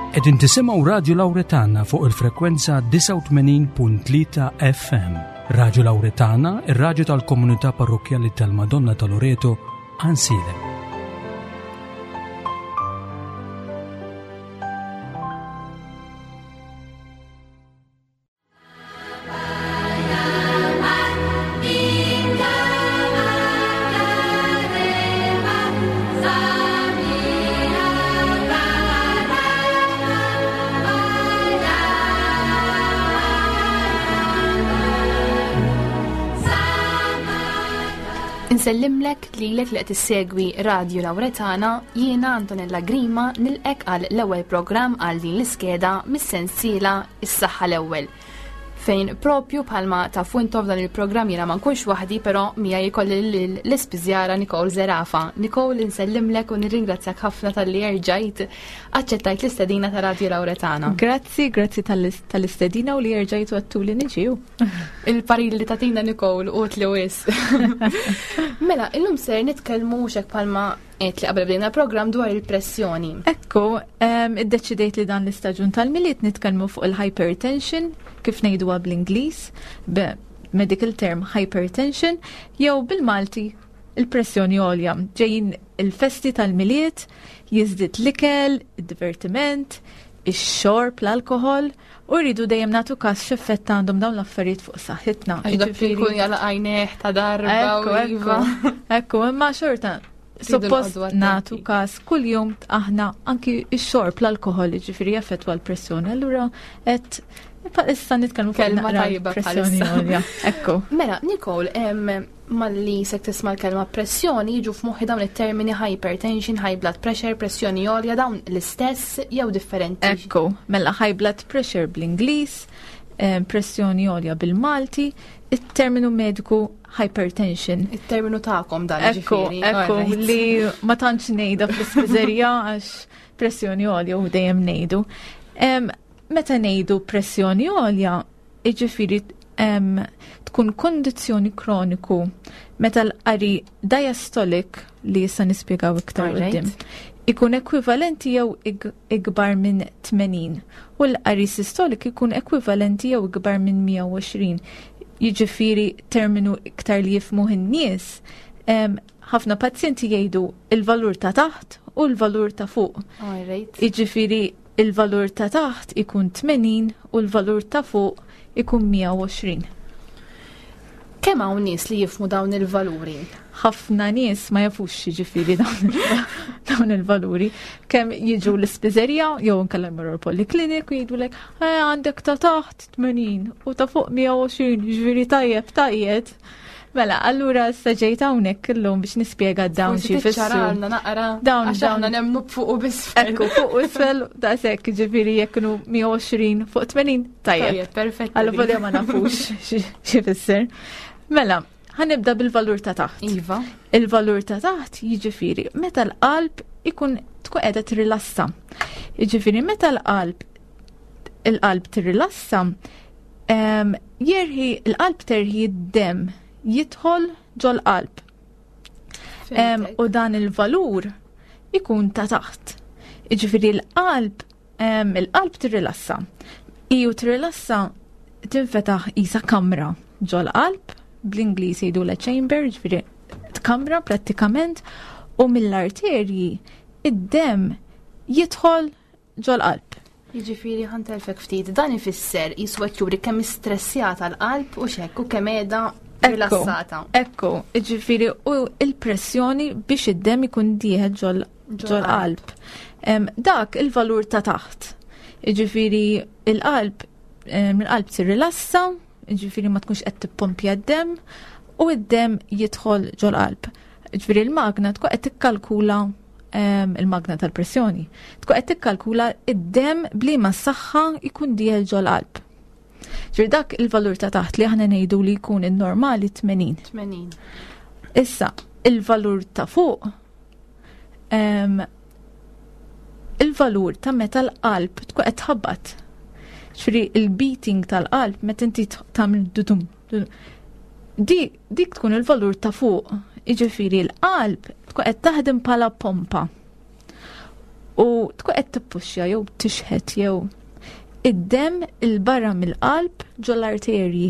Qegħdin tisimgħu Radju Lawretana fuq il-frekwenza 89.3 FM. Radju Lawretana, ir-radju tal-komunità parrokkjali tal-Madonna ta' Loreto, Ansilem. Insellimlek lilek li qed issegwi Radio Lawretana, jiena Antonella Grima nilqek għal l-ewwel programm għal din l-iskeda mis-sensiela Is-Saħħa l-Ewwel. Fejn propju bħalma tafu intom f'dan il-programm jiena ma nkunx waħdi però miegħi jkolli l-ispiżjara Nicole Zerafa. Nicole insellimlek u nirringrazzjak ħafna talli erġajt aċċettajt l-istedina ta' Radio Lawretana. Grazzi, grazzi tal-istedina u li erġajtu għattuli niġiju. Il-parir li tatina Nicole u tli wis. Mela, illum ser nitkellmu xek bħalma Għedt li qabel bdejna l-programm dwar il-pressjoni. Ekku, iddeċidejt li dan l-istaġun tal-Milied nitkellmu fuq il-hypertension, kif ngħiduha bl-Ingliż, medical term hypertension, jew bil-Malti il-pressjoni għolja. Ġejjin il-festi tal-Milied, jiżdied l-ikel, id-divertiment, ix-xorb, l-alkoħol, U rridu dejjem nagħtu każ x'effett għandhom dawn l-affarijiet fuq saħħitna. Għax dak jkun jala għajnejh ta' darba. Ekku, ekku, ekku, imma xorta suppost nagħtu każ kuljum aħna anki x-xorb l-alkoħol ġifieri jaffettwa l-pressjoni. Allura qed issa nitkellmu fuq kelma tajba pressjoni għolja. Ekku. Mela, Nicole, malli se tisma' l-kelma pressjoni jiġu f'moħħi dawn it-termini hypertension, high blood pressure, pressjoni għolja, dawn l-istess jew differenti. Ekku, mela high blood pressure bl-Ingliż, eh, pressjoni għolja bil-Malti, it-terminu mediku hypertension. Il-terminu ta'kom dan Ekku, ekku, li ma tantx ngħidha fl-ispiżerija għax pressjoni għolja u dejjem ngħidu. Meta ngħidu pressjoni għolja, Jiġifieri tkun kondizzjoni kroniku meta l-qari diastolic li issa nispjegaw iktar qudiem ikun ekwivalenti jew ikbar minn 80 u l-qari sistolik ikun ekwivalenti jew ikbar minn 120. Jiġifieri terminu iktar li jifhmuh in-nies, ħafna pazjenti jgħidu il-valur ta' taħt u l-valur ta' fuq. Jiġifieri Il-valur ta' taħt ikun 80 u l-valur ta' fuq ikun 120. Kemm hawn nies li jifhmu dawn il-valuri? Ħafna nies ma jafux jiġifieri dawn il-valuri. Kemm jiġu l-ispiżerija jew inkella jmorru l-poliklinik u jgħidulek eh, għandek ta' taħt 80 u ta' fuq 120, jiġifieri tajjeb tajjeb. Mela, allura issa ġejt hawnhekk illum biex nispjega dawn xi jfissru. naqra. Dawn dawn nemmnu fuq u bisfel. Ekku, fuq u isfel daqshekk ġifieri jekk kienu 120 fuq 80 tajjeb. Tajjeb, perfett. Allura volja ma nafux xi fisser. Mela, ħanibda bil-valur ta' taħt. Iva. Il-valur ta' taħt jiġifieri meta l-qalb ikun tkun qiegħda trilassa. Jiġifieri meta l-qalb il-qalb tirrilassa, Jerħi, l-qalb terħi d-dem jidħol ġol-qalb. U dan il-valur ikun ta' taħt. Iġifieri l-qalb il-qalb tirrilassa. Iju tirrilassa tinfetaħ isa kamra ġol-qalb, bl-Ingliż jgħidu la chamber, ġifieri kamra prattikament, u mill-arterji id-dem jidħol ġol-qalb. Jiġifieri ħa ntelfek ftit, dan ifisser qisu qed juri kemm istressjata l-qalb u x'hekk u kemm qiegħda rilassata. Ekku, jiġifieri u l-pressjoni biex id-demm ikun dieħel ġol-qalb. Dak il-valur ta' taħt. Jiġifieri il-qalb il-qalb tirrilassa, jiġifieri ma tkunx qed tippompja d-demm u d-demm jidħol ġol-qalb. Jiġifieri l-magna tkun qed tikkalkula il-magna tal-pressjoni. Tkun qed tikkalkula id-demm bliema saħħa jkun dieħel ġol-qalb. Ġifieri dak il-valur ta' taħt li aħna ngħidu li jkun in-normali 80. 80. Issa, il-valur ta' fuq il-valur ta' meta l-qalb tkun qed tħabbat. Ġifieri il-beating tal-qalb meta inti tagħmel dudum. Di, dik tkun il-valur ta' fuq, jiġifieri l-qalb tkun qed taħdem bħala pompa. U tkun qed tippuxxja jew tixħet jew id-demm il-barra mill-qalb ġol-arterji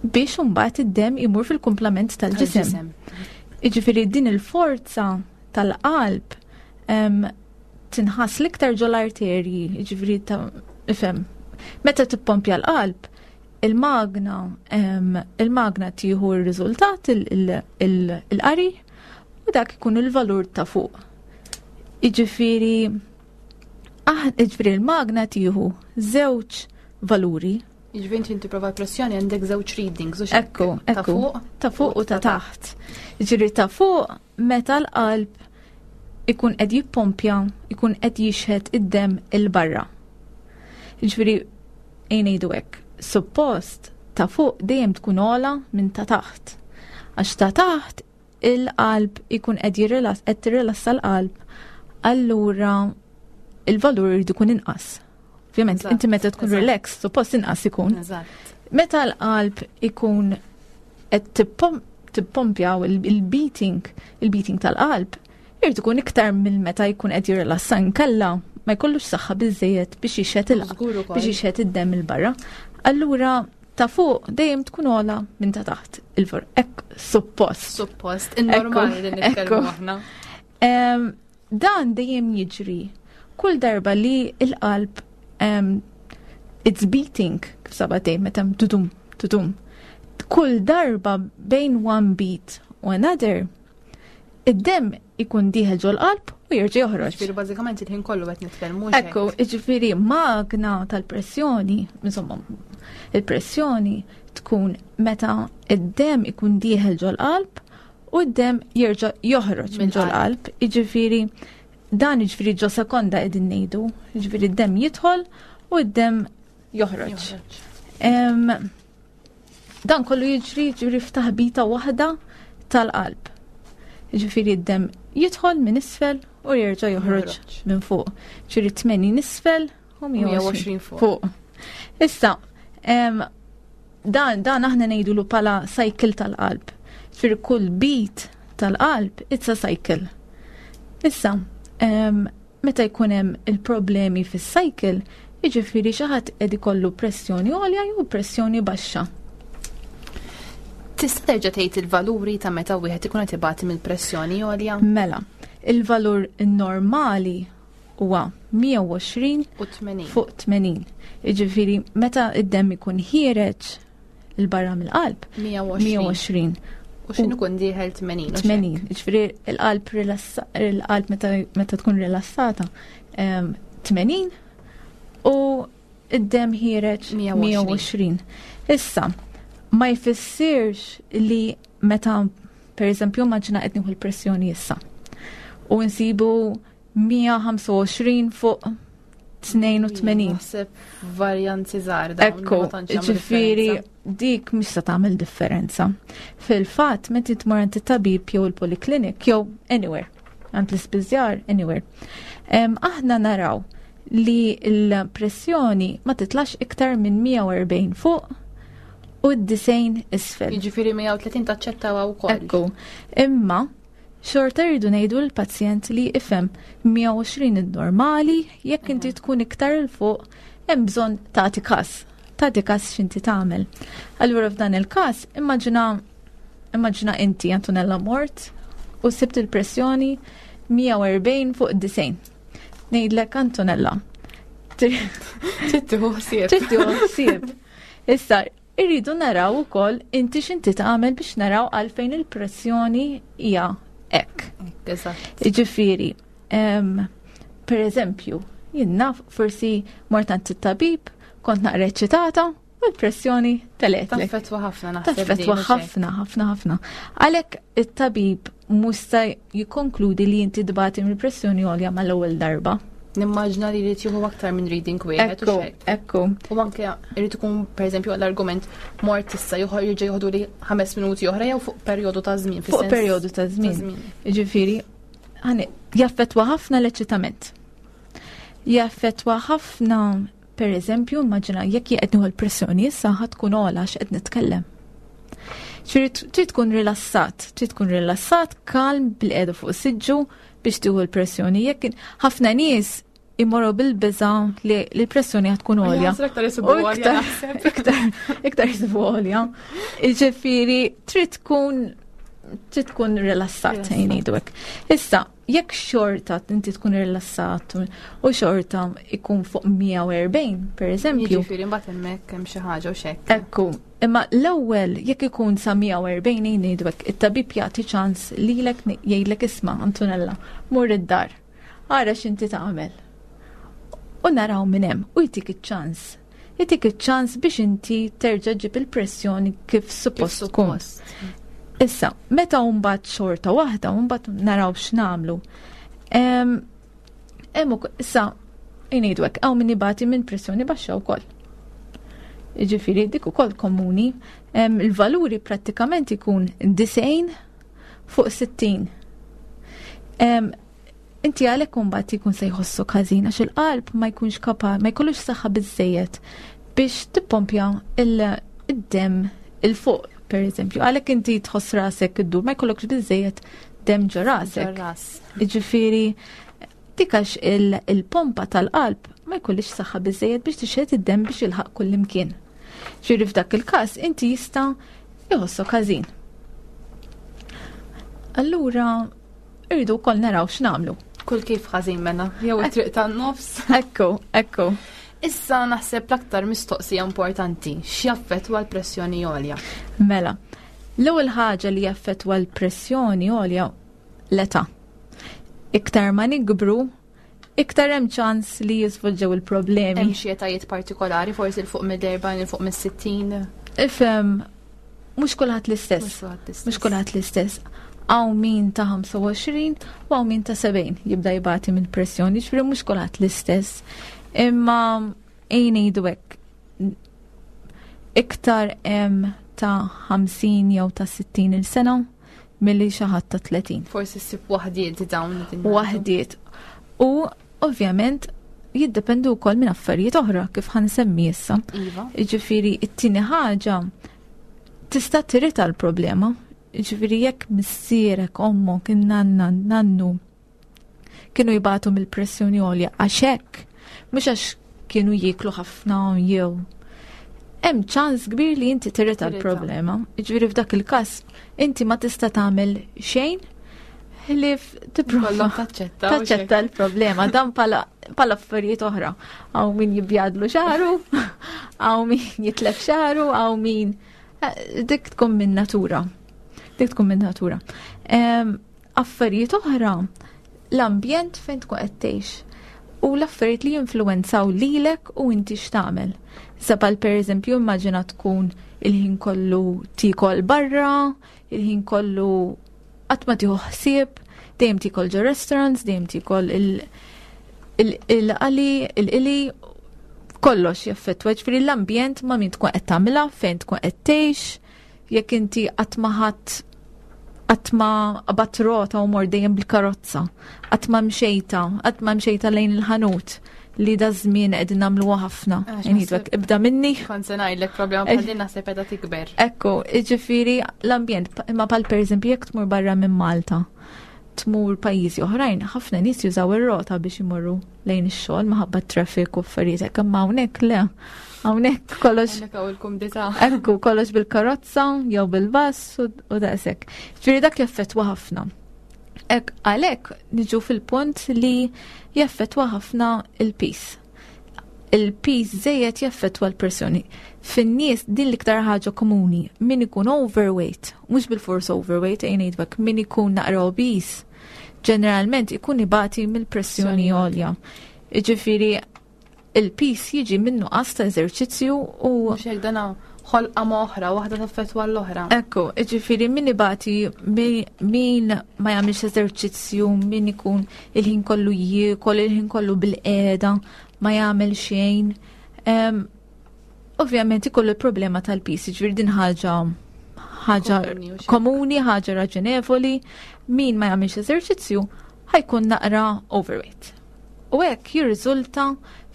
biex imbagħad id-demm imur fil-kumplament tal-ġisem. Jiġifieri din il-forza tal-qalb tinħass l-iktar ġol-arterji, jiġifieri ta' ifhem. Meta tippompja l-qalb, il-magna il-magna tieħu r-riżultat il-qari u dak ikun il-valur ta' fuq. Jiġifieri jiġifieri l-magna tieħu żewġ valuri. Jiġifieri inti tipprova pressjoni għandek żewġ readings u Ekku, ekku. Ta' fuq u ta' taħt. Jiġifieri ta' fuq meta l-qalb ikun qed jippompja, ikun qed jixħet id-demm 'il barra. Jiġifieri ejja ngħidu hekk, suppost ta' fuq dejjem tkun ogħla minn ta' taħt. Għax ta' taħt il-qalb ikun qed jirrilass qed tirrilassa l-qalb, allura il-valur irid ikun inqas. Ovvjament, inti meta tkun relax, suppost inqas ikun. Meta l-qalb ikun qed tippompja il-beating, il-beating tal-qalb, irid ikun iktar minn meta jkun qed jirrilassa nkella ma jkollux saħħa biżejjed biex jixħet il biex jixħet id-demm il barra. Allura ta' fuq dejjem tkun ogħla minn ta' taħt il-for. Ek suppost. Suppost, in-normali li nitkellmu aħna. Dan dejjem jiġri kull darba li il-qalb it's beating kif sabatej meta tudum tudum. Kull darba bejn one beat u another id-demm ikun dieħel ġol-qalb u jerġa' joħroġ. Ġifieri bażikament il-ħin kollu qed nitkellmu. Ekku, ġifieri magna tal-pressjoni, insomma, il-pressjoni tkun meta id-demm ikun dieħel ġol-qalb u d-demm jerġa' joħroġ minn ġol-qalb. Jiġifieri dan jiġifieri ġo sekonda qegħdin ngħidu, jiġifieri d-demm jidħol u d-demm joħroġ. Dan kollu jiġri ġifieri f'taħbita waħda tal-qalb. Ġifieri d-demm jidħol minn isfel u jerġa' joħroġ minn fuq. Ġifieri 80 isfel u 120 fuq. Issa, dan dan aħna ngħidulu pala cycle tal-qalb. Ġifieri kull beat tal-qalb it's a cycle. Issa, meta jkun hemm il-problemi fis-cycle, jiġifieri xi ħadd qed ikollu pressjoni għolja jew pressjoni baxxa. Tista' terġa' tgħid il-valuri ta' meta wieħed ikun qed ibati mill-pressjoni għolja? Mela, il-valur normali huwa 120 U 80. fuq 80. Jiġifieri meta id-demm ikun ħiereġ il-barra mill-qalb 120. 120. U x'inhu ikun dieħel 80. u x'hekk. 80. Jiġifieri il-qalb rilassa il-qalb meta meta tkun rilassata 80 u id-demm ħiereġ 120. 120. Issa, ma jfissirx li meta per eżempju immaġina qed nieħu l-pressjoni issa u nsibu 125 fuq 82. Naħseb varjanzi żgħar dawn. Ekku, ma tantx jagħmlu ġifieri differenza. dik mhix se tagħmel differenza. Fil-fatt, meta tmur għand it-tabib jew il-poliklinik jew anywhere, għand l-ispiżjar anywhere. Aħna naraw li l-pressjoni ma titlax iktar minn 140 fuq u d-90 isfel. Jiġifieri 130 taċċettawha wkoll. Ekku, imma xorta rridu ngħidu l-pazjent li ifhem 120 il-normali, jekk inti tkun iktar 'il fuq, hemm bżonn tagħti każ. Tagħti każ x'inti tagħmel. Allura f'dan il-każ, immaġina immaġina inti Antonella mort u sibt il-pressjoni 140 fuq 90. Ngħidlek Antonella. Trid tieħu ħsieb. Trid tieħu ħsieb. Issa, irridu naraw ukoll inti x'inti tagħmel biex naraw għalfejn il-pressjoni hija hekk. Eżatt. Jiġifieri, per eżempju, jien naf forsi mort għand it-tabib, kont naqra eċċitata u l-pressjoni telgħetlek. Taffettwa ħafna naħseb. Taffettwa din, ħafna, ħafna, ħafna. Għalhekk it-tabib mhux se jikkonkludi li inti tbati mill-pressjoni għolja mal-ewwel darba. Nimmaġna li jrid jieħu aktar minn reading wieħed u Ekku, xejn. ekku. U anke jrid ikun pereżempju għall-argument mort issa joħor jerġa' joħdu li 5 minuti oħra jew fuq perjodu ta' żmien. Fuq fis-sens perjodu ta' żmien. Jiġifieri, jaffettwa ħafna l-eċitament. Jaffettwa ħafna, per eżempju, immaġina jekk jien qed nieħu l-pressjoni issa ħa tkun ogħla għax qed nitkellem. Trid tkun rilassat, trid tkun rilassat, kalm bil-qiegħda fuq siġġu biex tieħu l-pressjoni. Jekk ħafna nies imorru bil-biża li l-pressjoni ħad tkun għolja. Iktar iktar iktar jisibu għolja. Ġifieri trid tkun trid tkun rilassat ngħidu hekk. Issa, jekk xorta inti tkun rilassat u xorta ikun fuq 140 per eżempju. Jiġifieri mbagħad hemmhekk hemm xi ħaġa u xekk. Ekku, imma l-ewwel jekk ikun sa 140 ngħidu hekk, it-tabib jagħti ċans lilek jgħidlek isma' Antonella, mur id-dar. Ara x'inti tagħmel. U naraw minn hemm u jtik iċ-ċans. Jtik iċ-ċans biex inti terġa' ġib il-pressjoni kif suppost tkun. Issa, meta mbagħad xorta waħda, mbagħad naraw x'nagħmlu. Hemm issa ngħidu hekk hawn min ibati minn pressjoni baxxa wkoll. Jiġifieri dik ukoll komuni. Il-valuri prattikament ikun 90 fuq 60. Inti għalhekk imbagħad jkun se jħossok ħażin għax il-qalb ma jkunx kapa, ma jkollux saħħa biżejjed biex tippompja il-dem il fuq per eżempju. Għalhekk inti tħoss rasek iddur ma jkollokx biżejjed dem ġo rasek. Jiġifieri dik għax il-pompa tal-qalb ma jkollix saħħa biżejjed biex tixħet id-dem biex jilħaq kullimkien. Ġifieri f'dak il-każ inti jista' jħossok ħażin. Allura irridu wkoll naraw x'nagħmlu. Kull kif ħażin mela, jew it-triq tan-nofs. Ekku, ekku. Issa naħseb l-aktar mistoqsija importanti, x'jaffettwa l-pressjoni għolja? Mela, l-ewwel ħaġa li jaffettwa l-pressjoni għolja l-età. Iktar ma nikbru, iktar hemm ċans li jiżvolġew il-problemi. Hemm xi etajiet partikolari, forsi l fuq mill-40, il fuq mis-60. Ifhem, mhux kulħadd l-istess. Mhux kulħadd l-istess. Hawn min ta' 25 u hawn min ta' 70 jibda jibati minn pressjoni, ġifieri mhux kulħadd l-istess. Imma ejn ngħidu hekk. Iktar hemm ta' 50 jew ta' 60 il-sena milli xi ħadd ta' 30. Forsi ssib waħdiet dawn. Waħdiet. U ovvjament jiddependu wkoll minn affarijiet oħra kif ħansemmi issa. Iva. Jiġifieri it-tieni ħaġa tista' tirita l-problema. Jiġifieri jekk missierek, ommok, in-nanna, nannu kienu jibatu mill-pressjoni għolja għax hekk, mhux għax kienu jieklu ħafna jew hemm ċans kbir li inti tirita l-problema. Jiġifieri f'dak il-każ inti ma tista' tagħmel xejn ħlief tipprova taċċetta l-problema dan pala affarijiet oħra. Hawn min jibjadlu xaru, hawn min jitlef xaru, hawn min eh, dik tkun minn natura. Dik tkun minn natura. Affarijiet oħra, l-ambjent fejn tkun qed tgħix u l-affarijiet li jinfluwenzaw lilek u inti x'tagħmel. Sabal pereżempju immaġina tkun il-ħin kollu tiekol barra, il-ħin kollu qatt ma tieħu ħsieb, dejjem tiekol ġo restaurants, dejjem tiekol il-qali, il-qili, kollox jaffettwa, ġifieri l-ambjent ma' min tkun qed tagħmilha, fejn tkun qed tgħix, jekk inti qatt ma ħadd qatt ma qabadt rota u mor dejjem bil-karozza, qatt ma mxejta, qatt ma mxejta lejn il-ħanut li da żmien qegħdin nagħmluha ħafna. Ngħidlek ibda minni. Kont se ngħidlek problema bħal din naħseb qiegħda tikber. Ekku, jiġifieri l-ambjent, imma bħal pereżempju jekk tmur barra minn Malta, tmur pajjiżi oħrajn, ħafna nies jużaw ir-rota biex imorru lejn ix-xogħol minħabba traffic u affarijiet hekk, imma hawnhekk le. Hawnhekk kollox. Hawnhekk hawn il-kumdità. Ekku, kollox bil-karozza jew bil-bass u daqshekk. Ġifieri dak jaffettwa ħafna. Ek għalhekk niġu fil-punt li jaffettwa ħafna il-pis. Il-pis żejjed jaffettwa l-pressjoni. Fin-nies din l-iktar ħaġa komuni, min ikun overweight, mhux bil-fors overweight, ejn ngħidlek, min ikun naqra obese, ġeneralment ikun ibati mill-pressjoni għolja. Jiġifieri il-pis jiġi minn nuqqas ta' eżerċizzju u. Mhux hekk dana ħolqa ma' oħra, waħda taffettwa l-oħra. Ekku, jiġifieri min ibati min ma jagħmilx eżerċizzju, min ikun il-ħin kollu jiekol, il-ħin kollu bil-qiegħda, ma jagħmel xejn. Ovvjament ikollu l-problema tal-pis, jiġifieri din ħaġa ħaġa komuni, ħaġa raġonevoli, min ma jagħmilx eżerċizzju ħajkun naqra overweight. U hekk jirriżulta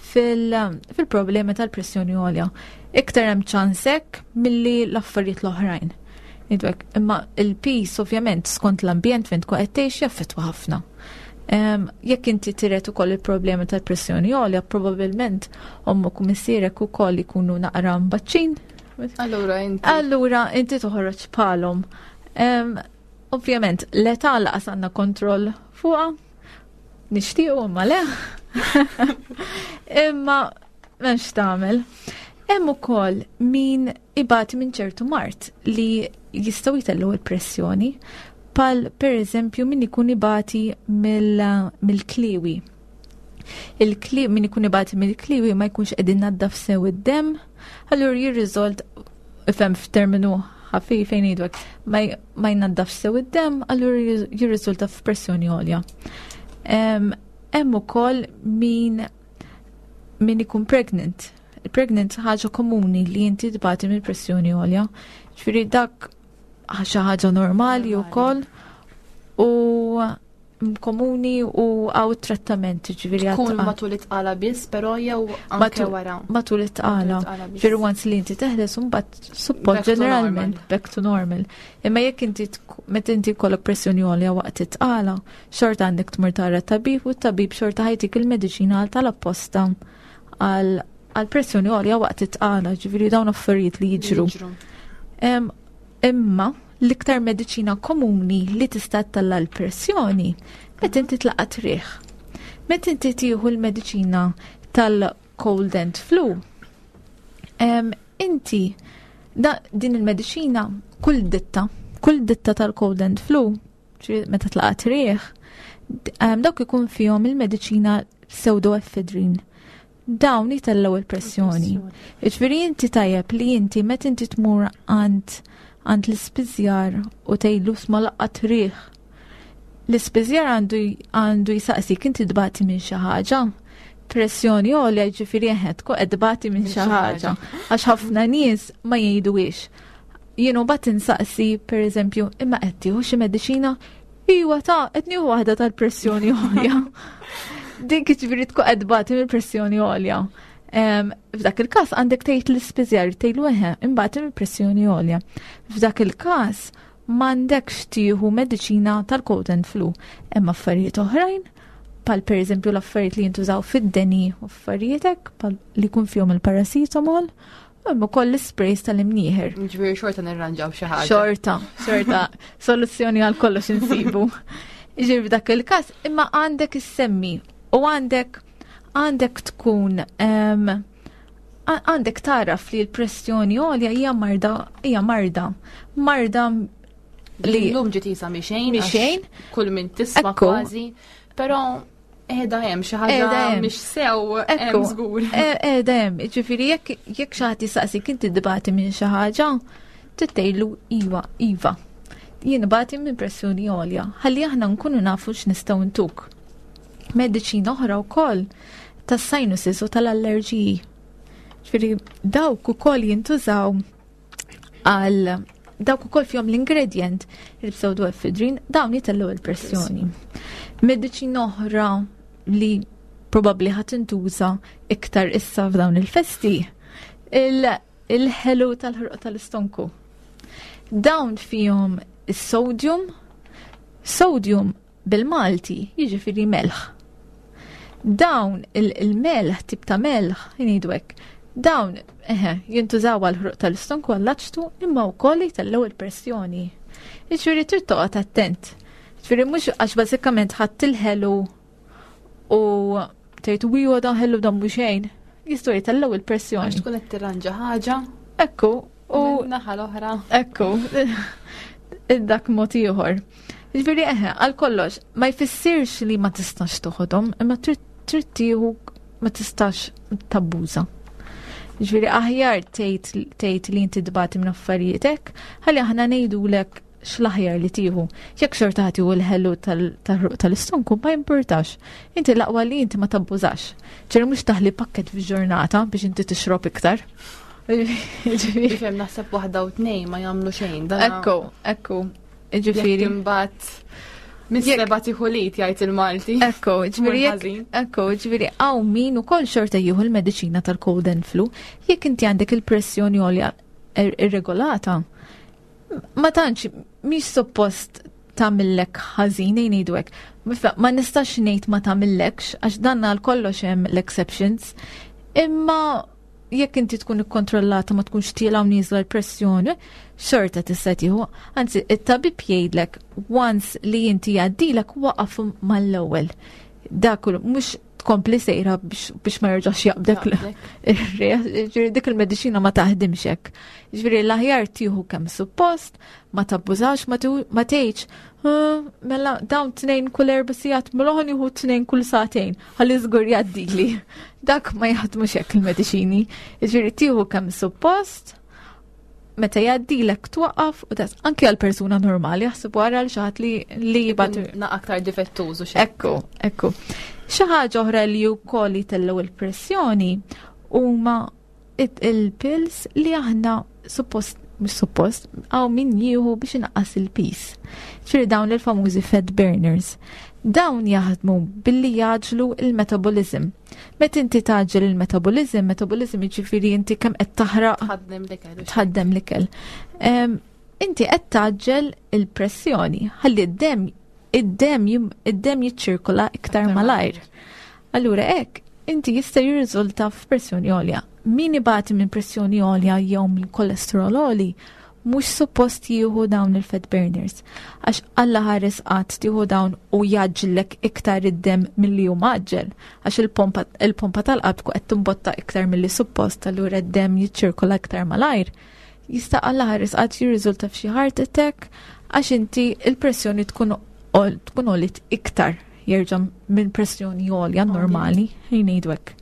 fil-problemi tal-pressjoni għolja. Iktar hemm ċans hekk milli l-affarijiet l-oħrajn. Ngħidu hekk. Imma il-piż ovvjament skont l-ambjent fejn tkun qed tgħix jaffettwa ħafna. Jekk inti tiret ukoll il-problemi tal-pressjoni għolja, probabbilment ommok u missierek ukoll ikunu naqra mbaċċin. Allura inti. Allura inti toħroġ bħalhom. Ovvjament l-età laqas għandna kontroll fuqha, nixtiequ imma le. Imma m'hemmx tagħmel. Hemm ukoll min ibati minn ċertu mard li jistgħu jtellgħu l-pressjoni, pal per eżempju min ikun ibati mill-kliwi. Min ikun ibati mill-kliwi ma jkunx qegħdin naddaf sew id-demm, allura jirriżolt ifhem f'terminu ħafif fejn ngħidu hekk, ma jnaddafx sew id-demm, allura jirriżulta f'pressjoni għolja. Hemm ukoll min ikun pregnant. Il-pregnant ħaġa komuni li inti tbati mill pressjoni għolja. Ġifieri dak xi ħaġa normali wkoll u komuni u għaw trattament, ġifieri Tkun matul it-tqala biss, però jew anke wara. Matul it-tqala. Matul it-tqala biss. Ġifieri once li inti teħles imbagħad suppost Back to ġeneralment normal. back to normal. Imma jekk inti meta inti jkollok pressjoni għolja waqt it-tqala, xorta għandek tmur tara t-tabib u t-tabib xorta ħajtik il-mediċina għal tal-apposta għal pressjoni għolja waqt it-tqala, ġifieri dawn affarijiet li jiġru. Jiġru. Imma l-iktar mediċina komuni li tista' ttella' l-pressjoni meta inti tlaqat riħ. Meta inti tieħu l-mediċina tal-cold and flu, inti din il-mediċina kull ditta tal-cold and flu, ġifieri meta tlaqat riħ, dawk ikun fihom il-mediċina pseudoephedrine. Dawn jitellgħu il-pressjoni. Ġifieri inti tajjeb li inti meta inti tmur għand l-ispiżjar u tgħidlu sma laqgħat riħ. L-ispiżjar għandu jisaqsik inti tbati minn xi ħaġa. Pressjoni għolja ġifieri eħe tkun qed tbati minn Minn xi xi ħaġa. ħaġa. Għax ħafna nies ma jgħiduhiex. Jien mbagħad insaqsi pereżempju, imma qed tieħu xi mediċina? Iwa ta' qed nieħu waħda tal-pressjoni għolja. Dik ġifieri tkun qed tbati mill-pressjoni għolja. F'dak il-każ għandek tgħid l-ispiżjar tgħidlu eħe, imbagħad mill-pressjoni għolja. F'dak il-każ m'għandekx tieħu mediċina tal-cold and flu. Hemm affarijiet oħrajn, pal pereżempju l-affarijiet li jintużaw fid-deni u affarijiet hekk, pal li jkun fihom il-paracetamol, u hemm ukoll l-isprays tal-imnieħer. Ġifieri xorta nirranġaw xi ħaġa. Xorta, xorta, soluzzjoni għal kollox insibu. Ġifieri f'dak il-każ, imma għandek issemmi u għandek tkun, għandek taraf li l-pressjoni għolja hija marda, hija marda, marda li Illum ġiet isa mi xejn, Mi għax xejn. kull min tisma' Ekku. kważi, però qiegħda hemm xi ħaġa Qiegħda hemm. mhix sew hemm Ekku. żgur. Qiegħda hemm, ġifieri jekk xi ħadd jistaqsik inti tbati minn xi ħaġa, tgħidlu iva, iva. Jien bati minn pressjoni għolja, ħalli aħna nkunu nafu x'nistgħu ntuk. Mediċina oħra wkoll tas-sinuses u tal-allerġiji. Ġifieri dawk ukoll jintużaw għal dawk ukoll fihom l-ingredient il-pseudoephedrine, dawn jitellgħu il-pressjoni. Mediċina oħra li probabbli ħadd intuża iktar issa f'dawn il-festi, il-ħelu tal-ħruq tal-istonku. Dawn fihom is-sodium, sodium bil-Malti jiġifieri melħ. Dawn il-melħ, tip ta' melħ, jgħidu hekk, dawn, eħe, jintużaw għal ħruq tal-istonku għall-aċtu imma wkoll jtellgħu il-pressjoni. Jiġifieri trid toqgħod attent. Jiġifieri mhux għax bażikament ħadd il-ħelu u tgħid u dan ħelu dan mhux xejn. Jistgħu jtellgħu il-pressjoni. Għax tkun qed tirranġa ħaġa. Ekku, u naħa l-oħra. Ekku, dak mod ieħor. Jiġifieri eħe, għal kollox, ma jfissirx li ma tistax toħodhom, imma trid tieħu ma tistax tabbuża. Jiġifieri aħjar tgħid li inti tbati minn affarijiet hekk, ħalli aħna ngħidulek x'l-aħjar li tieħu. Jekk xorta ħadd jieħu l-ħelu tal-ħruq tal-istonku ma jimpurtax. Inti l-aqwa li inti ma tabbużax. Ġifieri mhux taħli pakket fil-ġurnata biex inti tixrob iktar. Ġifieri. Ifhem naħseb waħda u tnejn ma jagħmlu xejn. Dan Ekku, ekku. Ġifieri. Jekk imbagħad mis-seba' tieħu lit jgħid il-Malti. Ekku, ġifieri Mur jekk ħażin. ekku, ġifieri hawn min ukoll xorta jieħu l-mediċina tal-cold and flu, jekk inti għandek il-pressjoni għolja irregolata, Ma tantx mhix suppost tagħmillek ħażin ngħidu hekk. Ma nistax ngħid ma tagħmillekx għax dan għal kollox hemm l-exceptions. Imma jekk inti tkun ikkontrollata ma tkunx tiela u nieżla l-pressjoni, xorta tista' tieħu. Anzi, it-tabib jgħidlek once li inti jgħaddilek waqaf mal-ewwel. Dak mhux tkompli sejra biex ma jerġax jaqbdek ir-re, dik il-mediċina ma taħdimx hekk. Ġifieri l-aħjar tieħu kemm suppost, ma tabbużax, ma tgħidx, ah, mela dawn tnejn kull erba' sigħat, mela ħa nieħu tnejn kull sagħtejn, ħalli żgur jgħaddili. Dak ma jaħdmux hekk il-mediċini. Ġifieri tieħu kemm suppost, meta jgħaddilek twaqqaf u das anki għal persuna normali jaħseb wara l xi ħadd li li jibgħat na aktar difettużu xi. Ekku, ekku. Xi ħaġa oħra li wkoll jtellgħu il-pressjoni huma il-pills li aħna suppost mhux suppost, għaw min jieħu biex inaqqas il-pis. Ġifieri dawn il-famużi fat burners. Dawn jaħdmu billi jaġlu il-metabolism. Meta inti taġġel il-metabolism, metabolism jiġifieri inti kemm qed taħraq tħaddem l-ikel. Tħaddem l-ikel. Inti qed taġġel il-pressjoni ħalli d-dem id-dem id-dem jiċċirkola iktar malajr. Allura hekk inti jista' jirriżulta f'pressjoni għolja. Min ibati minn pressjoni għolja jew minn kolesterol għoli mhux suppost jieħu dawn il-fat burners. Għax Alla ħares qatt tieħu dawn u jaġġlek iktar id-dem milli hu maġġel. Għax il-pompa tal-qalb tkun qed timbotta iktar milli suppost, allura d-dem jiċċirkola iktar malajr. Jista' Alla ħares qatt jirriżulta f'xi heart attack għax inti il-pressjoni tkun tkun għolit iktar jerġa' minn pressjoni għolja normali, ngħidu hekk.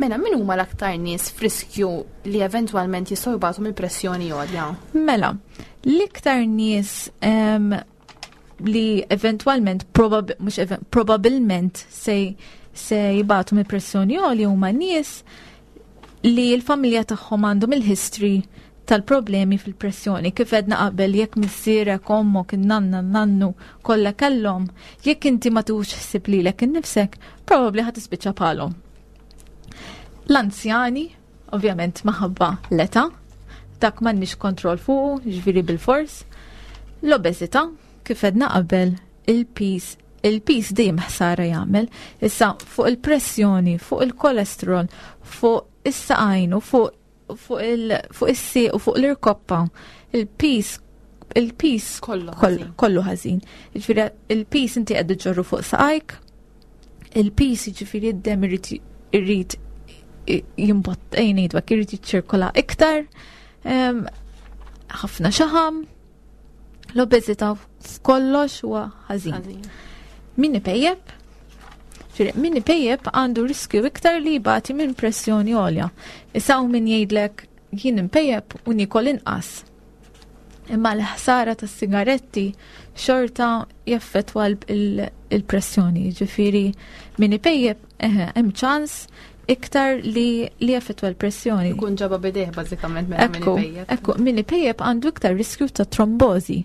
Mela, min huma l-aktar nies f'riskju li eventwalment jistgħu jbatu mill-pressjoni għolja? Mela, l-iktar nies li eventwalment probab, mhux probabilment se se jibatu mill-pressjoni għolja huma nies li l-familja tagħhom għandhom il-history tal-problemi fil-pressjoni. Kif edna qabel jekk missierek, ommok, in-nanna, nannu kollha kellhom, jekk inti ma tux ħsieb lilek innifsek, probabbli ħa tispiċċa bħalhom. L-anzjani, ovvjament maħabba l-età, dak m'għandniex kontroll fuqu, ġifieri bil-fors. L-obeżità, kif edna qabel, il-pis il-pis dejjem ħsara jagħmel. Issa fuq il-pressjoni, fuq il-kolesterol, fuq is-saqajn u fuq fuq il fuq is-sieq u fuq l-irkoppa, il-pis il-pis kollu ħażin. Ġifieri il-pis inti qed iġorru fuq saqajk, il-pis jiġifieri d-dem irid irid jimbott ngħidu hekk irid jiċċirkola iktar, ħafna xaħam, l-obeżità f'kollox huwa ħażin. Min ipejjeb? Min ipejjeb għandu riskju iktar li jbati minn pressjoni għolja. Issa hawn min jgħidlek jien impejjeb u nikol inqas. Imma l-ħsara tas sigaretti xorta jaffetwa il-pressjoni. Ġifieri min ipejjeb hemm ċans iktar li li jaffettwa l-pressjoni. Ikun ġaba bidejh bażikament mela min ipejjeb. Ekku, min ipejjeb għandu iktar riskju ta' trombożi.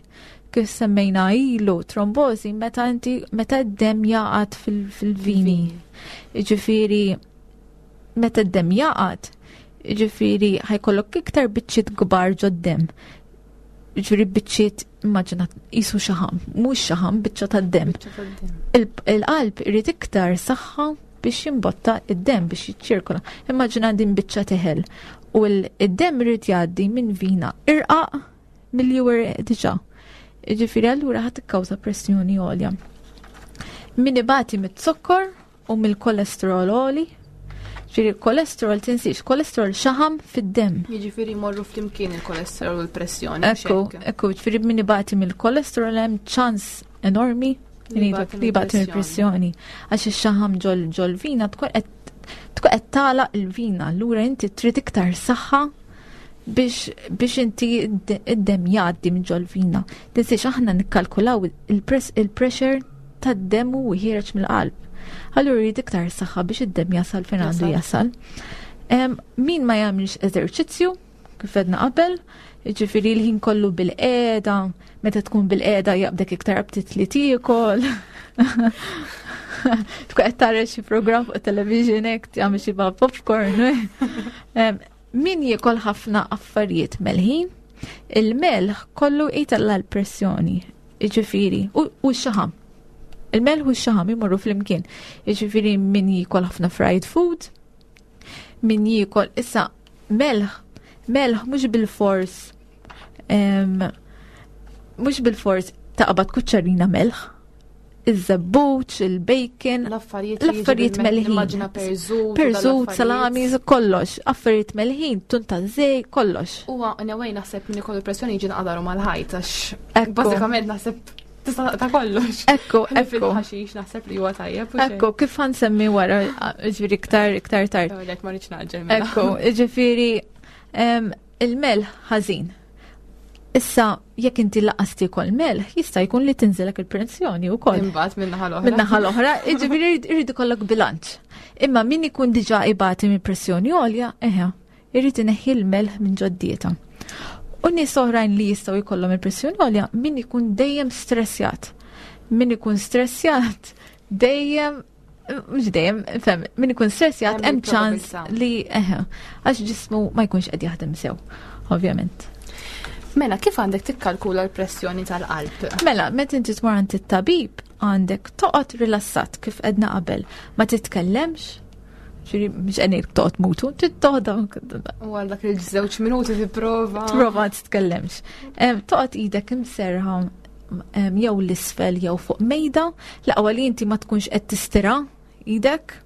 Kif semmejna ilu, trombożi meta inti meta d-dem jaqgħad fil-vini. Ġifieri meta d-dem jaqgħad, ġifieri ħajkollok iktar biċċiet kbar ġod-dem. Ġifieri biċċiet immaġina qisu xaħam, mhux xaħam, biċċa tad-dem. Il-qalb irid iktar saħħa biex jimbotta id-dem biex jiċċirkola. Immaġina din biċċa teħel u id-dem irid jgħaddi minn vina irqaq milli hu diġà. Ġifieri allura ħadd tikkawża pressjoni għolja. Min ibati mit-zokkor u mill-kolesterol għoli, ġifieri kolesterol tinsiex, kolesterol xaħam fid-dem. Jiġifieri jmorru flimkien il-kolesterol u l-pressjoni. Ekku, ekku, ġifieri min ibati mill-kolesterol hemm ċans enormi li jibgħat il-pressjoni. Għax ix-xaħam ġol ġol vina tkun qed tkun qed tagħlaq il-vina, allura inti trid iktar saħħa biex biex inti id-dem jgħaddi minn ġol vina. Tinsiex aħna nikkalkulaw il-pressure tad-dem u ħiereġ mill-qalb. Allura jrid iktar saħħa biex id-dem jasal fejn għandu jasal. Min ma jagħmilx eżerċizzju, kif għedna qabel, ġifiri l-ħin kollu bil-qeda, meta tkun bil-qeda jaqbdek iktar aptit li tiekol. Tkun qed tara xi programm fuq television hekk tagħmel xi popcorn. Min jiekol ħafna affarijiet melħin? Il-melħ kollu jtella l-pressjoni, jiġifieri, u x-xaħam. Il-melħ u x-xaħam imorru flimkien. Jiġifieri min jiekol ħafna fried food, min jiekol issa melħ, melħ mhux bil-fors mhux bil-fors taqbad kuċċarina melħ, iż-żebbuġ, il-bacon, l-affarijiet melħin. Immaġina perżut, perżut, salami, kollox, affarijiet melħin, tun ta' żej, kollox. Huwa anyway naħseb min ikollu pressjoni jiġi naqdaru mal-ħajt għax bażikament naħseb tista' ta' kollox. Ekku, ekku. Fil-ħaxix naħseb li huwa tajjeb. Ekku, kif ħansemmi wara, ġifieri iktar iktar tard. Lek ma rridx naġġel. Mela. Ekku, ġifieri il-melħ ħażin. Issa, jekk inti laqas tiekol melħ, jista' jkun li tinżilek il-pressjoni wkoll. Imbagħad min-naħa l-oħra. Min-naħa l-oħra, jiġifieri jrid ikollok bilanċ. Imma min ikun diġà ibati minn pressjoni għolja, eħe, irid ineħħi l-melħ minn ġod-dieta. U nies oħrajn li jistgħu jkollhom il-pressjoni għolja, min ikun dejjem stressjat. Min ikun stressjat dejjem mhux dejjem, fem, min ikun stressjat hemm ċans li eħe, għax ġismu ma jkunx qed jaħdem sew, ovvjament. Mela, kif għandek tikkalkula l-pressjoni tal-qalb? Mela, meta inti tmur għand it-tabib, għandek toqgħod rilassat kif qedna qabel, ma titkellemx, ġiri, mhux qed ngħid toqgħod mutu, tittoħda. U għal dak il-żewġ minuti tipprova. Tipprova titkellemx. Toqgħod idek imserħa jew l-isfel jew fuq mejda, l-aqwa li inti ma tkunx qed tistira idek.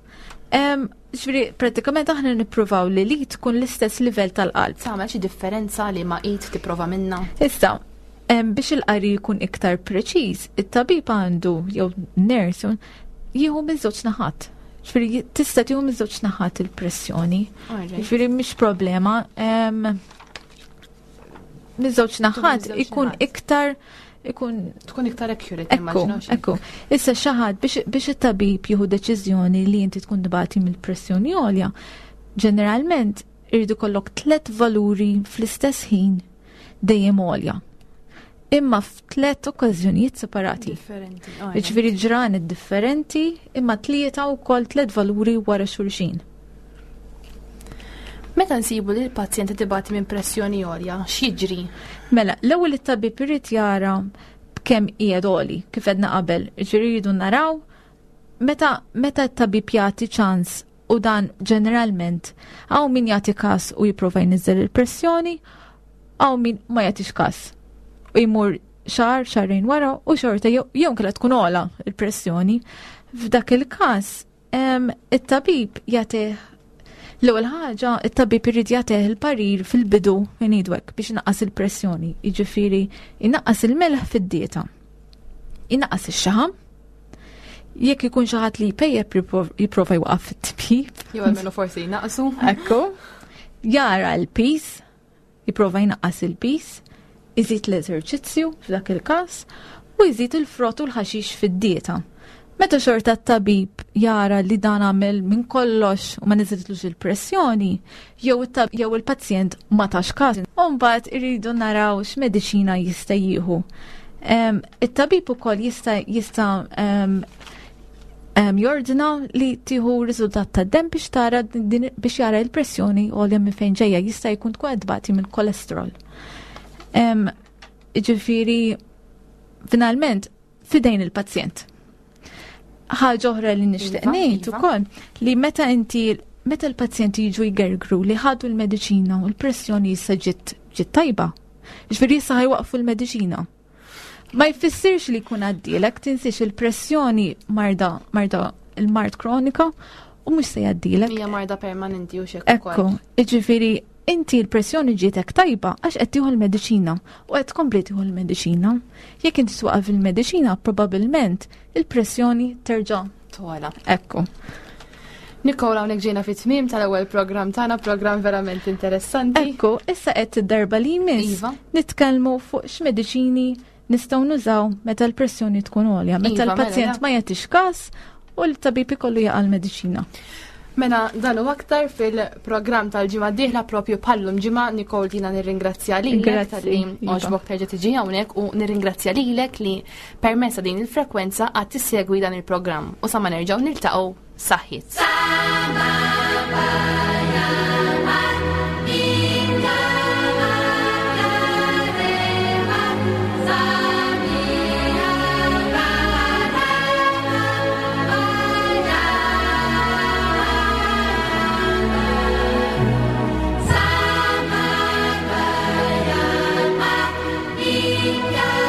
Ġifieri pratikament aħna nippruvaw li li tkun l-istess livell tal-qalb. Tagħmel xi differenza li ma id tipprova minna? Issa, biex il-qari jkun iktar preċiż, it-tabib għandu jew nurse jieħu minn żewġ naħat. Ġifieri tista' tieħu minn żewġ naħat il-pressjoni. Ġifieri mhix problema. Miż-żewġ naħat ikun iktar ikun tkun iktar accurate ekku, ekku. Issa xi ħadd biex it-tabib jieħu deċiżjoni li inti tkun tbati mill-pressjoni għolja, ġeneralment irridu kollok tlet valuri fl-istess ħin dejjem għolja. Imma f'tlet okkażjonijiet separati. Differenti. Jiġifieri ġranet differenti imma tlieta wkoll tlet valuri wara xulxin. Meta nsibu li l-pazjent qed ibati minn pressjoni għolja, x'jiġri? Mela, l-ewwel it-tabib irid jara b'kemm qiegħed għoli, kif għedna qabel. Jiġifieri jridu naraw meta meta t-tabib jagħti ċans u dan ġeneralment hawn min jagħti każ u jipprova jniżżel il-pressjoni, hawn min ma jagħtix każ u jmur xahar, xahrejn wara u xorta jew inkella tkun ogħla il-pressjoni. F'dak il-każ it-tabib jagħtih l-ewwel ħaġa, it-tabib irid jagħtih il-parir fil-bidu ngħidu hekk biex inaqqas il-pressjoni, jiġifieri inaqqas il-melħ fid-dieta. Inaqqas ix-xaħam, jekk ikun xi ħadd li jpejjep jipprova jwaqaf fit-tipjip. Jew almenu forsi jnaqsu. Ekku. Jara l-piż, jipprova jnaqqas il-piż, iżid l-eżerċizzju f'dak il-każ u jżid il-frott u l-ħaxix fid-dieta. Meta xorta t-tabib jara li dan għamel minn kollox u ma niżitlux il-pressjoni, jew jew il-pazjent ma tax każ, u mbagħad iridu naraw x'mediċina jista' jieħu. It-tabib ukoll jista' jista' jordna li tieħu riżultat ta' dem biex tara biex jara l-pressjoni għolja minn fejn ġejja jista' jkun tkun qed tbati minn kolesterol. Ġifieri finalment fidejn il-pazjent. Ħaġa oħra li nixtieq Iva, ngħid iva. ukoll li meta inti meta l-pazjenti jiġu jgergru li ħadu l-mediċina u l-pressjoni issa ġiet ġiet tajba. Ġifieri issa ħajwaqfu l-mediċina. Ma jfissirx li jkun għaddielek, tinsiex il-pressjoni marda marda il-mard kronika u mhux se jgħaddilek. Hija marda permanenti u xek Ekku, jiġifieri inti l-pressjoni ġietek tajba għax qed tieħu l-mediċina u qed tkompli tieħu l-mediċina. Jekk inti twaqaf il-mediċina, probabbilment il-pressjoni terġa' Tola. Ekku. Nikola, hawnhekk ġejna fit-tmiem tal-ewwel programm tagħna, programm verament interessanti. Ekku, issa qed id-darba li jmiss Iva. nitkellmu fuq x'mediċini nistgħu nużaw meta l-pressjoni tkun għolja, meta Iva, mela, l-pazjent da. ma jagħtix każ u l-tabib ikollu jaqa' l-mediċina. Mela dan u aktar fil-programm tal-ġimgħa d-dieħla propju bħallum ġimgħa Nicole jiena nirringrazzja lilek Grazzi, talli Iva. għoġbok terġa' tiġi hawnhekk u nirringrazzja lilek li permezz ta' din il-frekwenza għad tissegwi dan il-programm u sa ma nerġgħu niltaqgħu saħħiet. Yeah.